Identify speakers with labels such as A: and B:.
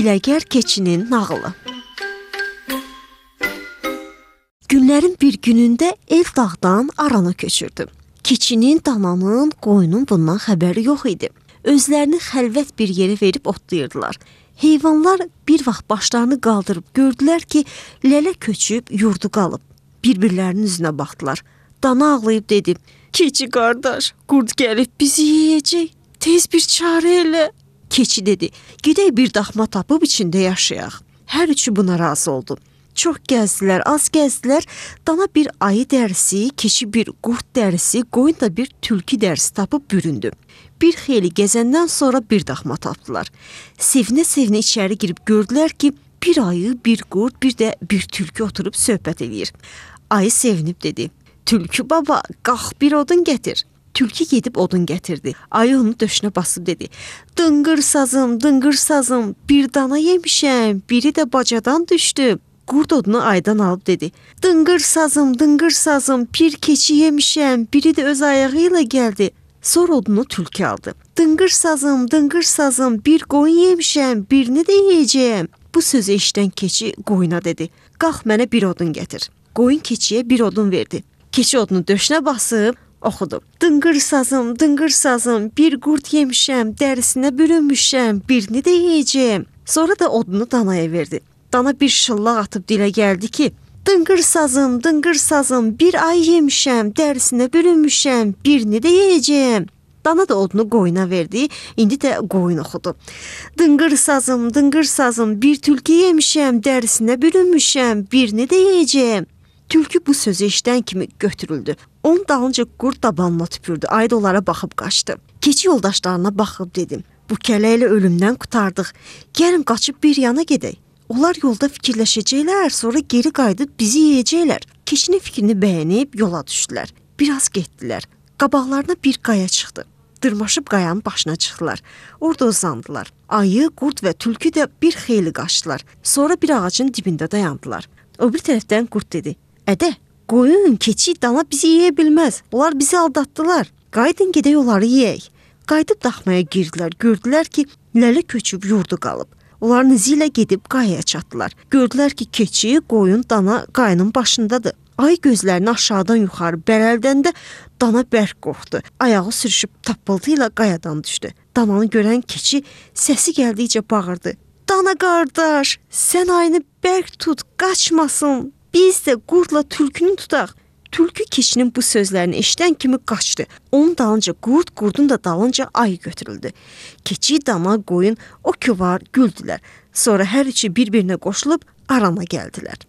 A: Hiyləgər keçinin nağılı. Günlərin bir günündə ev dağdan arana köçürdü. Keçinin, dananın, qoyunun bundan xəbəri yox idi. Özlərini xəlvət bir yerə verib otlayırdılar. Heyvanlar bir vaxt başlarını qaldırıb gördülər ki, lələ köçüb yurdu qalıb. Bir-birlərinin üzünə baxdılar. Dana ağlayıb dedi, keçi qardaş, qurd gəlib bizi yeyəcək, tez bir çarə elə. Keçi dedi, gedək bir daxma tapıb içində yaşayaq. Hər üçü buna razı oldu. Çox gəzdilər, az gəzdilər. Dana bir ayı dərisi, keçi bir qurd dərisi, qoyun da bir tülkü dərisi tapıb büründü. Bir xeyli gəzəndən sonra bir daxma tapdılar. Sevinə-sevinə içəri girib gördülər ki, bir ayı, bir qurd, bir də bir tülkü oturub söhbət edir. Ayı sevinib dedi, tülkü baba, qalx bir odun gətir. Tülkü gedib odun gətirdi. Ayı onu döşünə basıb dedi, dıngır sazım, bir dana yemişəm, biri də bacadan düşdü. Qurd odunu aydan alıb dedi, dıngır sazım, bir keçi yemişəm, biri də öz ayağı ilə gəldi. Sonra odunu tülkü aldı. Dıngır sazım, bir qoyun yemişəm, birini də yeyəcəyəm. Bu sözü eşidən keçi qoyuna dedi, qalx mənə bir odun gətir. Qoyun keçiyə bir odun verdi. Keçi odunu döşünə basıb oxudu. Dıngır sazım, bir qurd yemişəm, dərisinə bürünmüşəm, birini də yeyəcəyəm. Sonra da odunu danaya verdi. Dana bir şıllaq atıb dilə gəldi ki, dıngır sazım, bir ay yemişəm, dərisinə bürünmüşəm, birini də yeyəcəyəm. Dana da odunu qoyuna verdi, indi də qoyun oxudu. Dıngır sazım, bir tülkü yemişəm, dərisinə bürünmüşəm, birini də yeyəcəyəm. Tülkü bu sözü eşidən kimi götürüldü. Onun dalınca qurd dabanına tüpürdü, ayı da onlara baxıb qaçdı. Keçi yoldaşlarına baxıb dedim, bu kələ ilə ölümdən qutardıq, gəlin qaçıb bir yana gedək. Onlar yolda fikirləşəcəklər, sonra geri qayıdıb bizi yeyəcəklər. Keçinin fikrini bəyənib yola düşdülər. Biraz getdilər. Qabaqlarına bir qaya çıxdı. Dırmaşıb qayanın başına çıxdılar. Orada uzandılar. Ayı, qurd və tülkü də bir xeyli qaçdılar. Sonra bir ağacın dibində dayandılar. O bir tərəfdən qurd dedi, ədə, qoyun, keçi, dana bizi yeyə bilməz. Onlar bizi aldatdılar. Qayıdın gedək onları yeyək. Qayıdıb daxmaya girdilər. Gördülər ki, lələ köçüb yurdu qalıb. Onların izi ilə gedib qayaya çatdılar. Gördülər ki, keçi, qoyun, dana qayanın başındadır. Ay gözlərini aşağıdan yuxarı bərəldəndə dana bərk qorxdu. Ayağı sürüşüb tappıltı ilə qayadan düşdü. Dananı görən keçi səsi gəldikcə bağırdı. Dana qardaş, sən ayını bərk tut, qaçmasın. Biz də qurdla tülkünü tutaq. Tülkü keçinin bu sözlərini eşidən kimi qaçdı. Onun dalınca qurd, qurdun da dalınca ayı götürüldü. Keçi, dana, qoyun o ki var güldülər. Sonra hər üçü bir-birinə qoşulub arana gəldilər.